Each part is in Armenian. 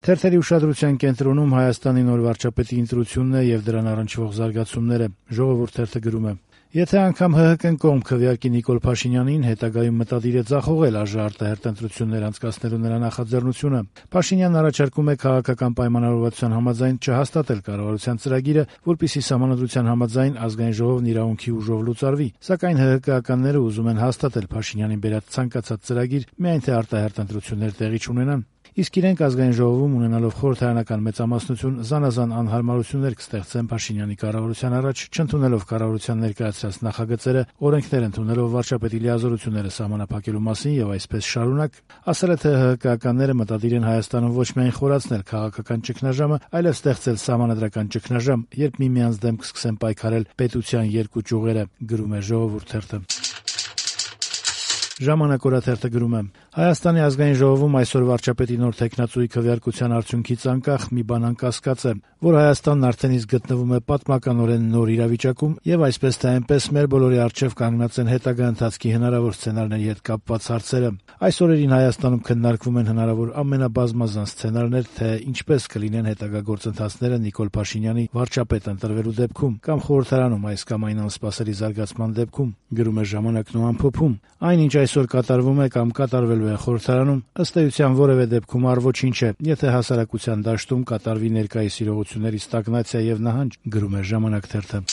Թերթերի ուշադրության կենտրոնում Հայաստանի նոր վարչապետի ընտրությունն է եւ դրան առնչվող զարգացումները։ Ժողովուրդ թերթը գրում է. Եթե անգամ ՀՀԿ-ն կողմ քվեարկի Նիկոլ Փաշինյանին, հետագայում մտադիր է ձախողել ԱԺ արտահերթ ընտրություններ անցկացնելու նրա նախաձեռնությունը։ Փաշինյանն առաջարկում է քաղաքական պայմանավորվածության համաձայն չհաստատել կառավարության ծրագիրը, որպեսզի Սահմանադրության համաձայն Ազգային ժողովն իրավունքի ուժով լուծարվի, սակայն ՀՀԿ-ականները ուզում են հաստատել Փաշինյանին բերած ցանկացած ծրագիր, միայն թե արտահերթ ընտրություններ տեղի չունենան։ Իսկ իրենք Ազգային ժողովում ունենալով խորհրդարանական մեծամասնություն զանազան անհարմարություններ կստեղծեն Փաշինյանի կառավարության առաջ, չընդունելով կառավարության ներկայացրած նախագծերը, օրենքներ ընդունելով վարչապետի լիազորությունները սահմանափակելու մասին եւ այսպես շարունակ, ասել է, թե ՀՀԿ-ականները մտադիր են Հայաստանում ոչ միայն խորացնել քաղաքական ճգնաժամը, այլև ստեղծել սահմանադրական ճգնաժամ, երբ միմյանց դեմ կսկսեն պայքարել պետության երկու ճյուղերը, գրում է Ժողովուրդ թերթը։ Ժամանակ օրաթերթը գրում է. Հայաստանի ազգային ժողովում այսօր վարչապետի նոր թեկնածուի քվեարկության արդյունքից անկախ մի բան անկասկած է, որ Հայաստանն արդեն իսկ գտնվում է պատմականորեն նոր իրավիճակում եւ այսպես թե այնպես մեր բոլորի առջեւ կանգնած են հետագա ընթացքի հնարավոր սցենարների հետ կապված հարցերը։ Այս օրերին Հայաստանում քննարկվում են հնարավոր ամենաբազմազան սցենարներ, թե ինչպես կլինեն հետագա գործընթացները Նիկոլ Փաշինյանի վարչապետ ընտրվելու դեպքում կամ խորհրդարանում այս կամ այն անսպասելի զարգացման դեպքում, գրում է Ժամանակն ու ամփոփում։ Այնինչ այսօր կատարվում է կամ կատարվելու է խորհրդարանում, ըստ էության որևէ դեպքում առ ոչինչ է, եթե հասարակության դաշտում կատարվի ներկայիս իրողությունների ստագնացիա եւ նահանջ, գրում է Ժամանակ թերթը։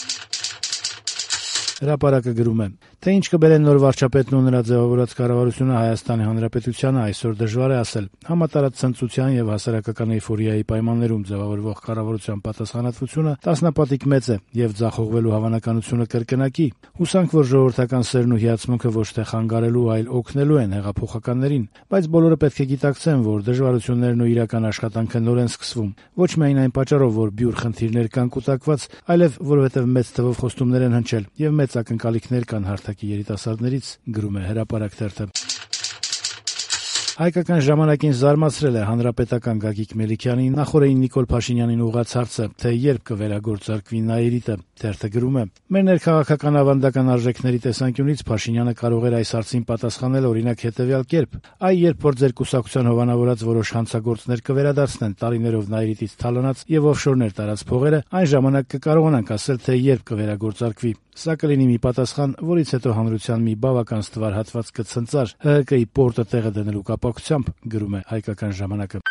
Հրապարակը գրում է, թե ինչ կբերեն նոր վարչապետն ու նրա ձևավորած կառավարությունը Հայաստանի Հանրապետությանը այսօր դժվար է ասել։ Համատարած ցնծության եւ հասարակական էյֆորիայի պայմաններում ձևավորվող կառավարության պատասխանատվությունը տասնապատիկ մեծ է եւ ձախողվելու հավանականությունը կրկնակի։ Հուսանք, որ ժողովրդական սերն ու հիացմունքը ոչ թե խանգարելու, այլ օգնելու են հեղափոխականներին, բայց բոլորը պետք է գիտակցեն, որ դժվարություններն ու իրական աշխատանքը նոր են սկսվում։ Ոչ միայն այն պատճառով, որ բյուր խնդիրներ կան կուտակված, այլև որովհետեւ մեծ թվով խոստումներ են հնչել եւ մեծ ակնկալիքներ կան հարթակի երիտասարդներից, գրում է Հրապարակ թերթը։ Հայկական ժամանակին զարմացրել է հանրապետական Գագիկ Մելիքյանի նախորդին Նիկոլ Փաշինյանին ուղղված հարցը, թե երբ կվերագործարկվի Նաիրիտը։ Թերթը գրում է. մեր ներքաղաքական ավանդական արժեքների տեսանկյունից Փաշինյանը կարող էր այս հարցին պատասխանել օրինակ հետևյալ կերպ. այ երբ որ ձեր կուսակցության հովանավորած որոշ հանցագործներ կվերադարձնեն տարիներով Նաիրիտից թալանած եւ օֆշորներ տարած փողերը, այն ժամանակ կկարողանանք ասել, թե երբ կվերագործարկվի։ Սա կլինի մի պատասխան, որից հետո հանրության մի բավական ստվար հատված կցնծար ՀՀԿ-ի պորտը տեղը դնելու կապակցությամբ, գրում է Հայկական ժամանակը։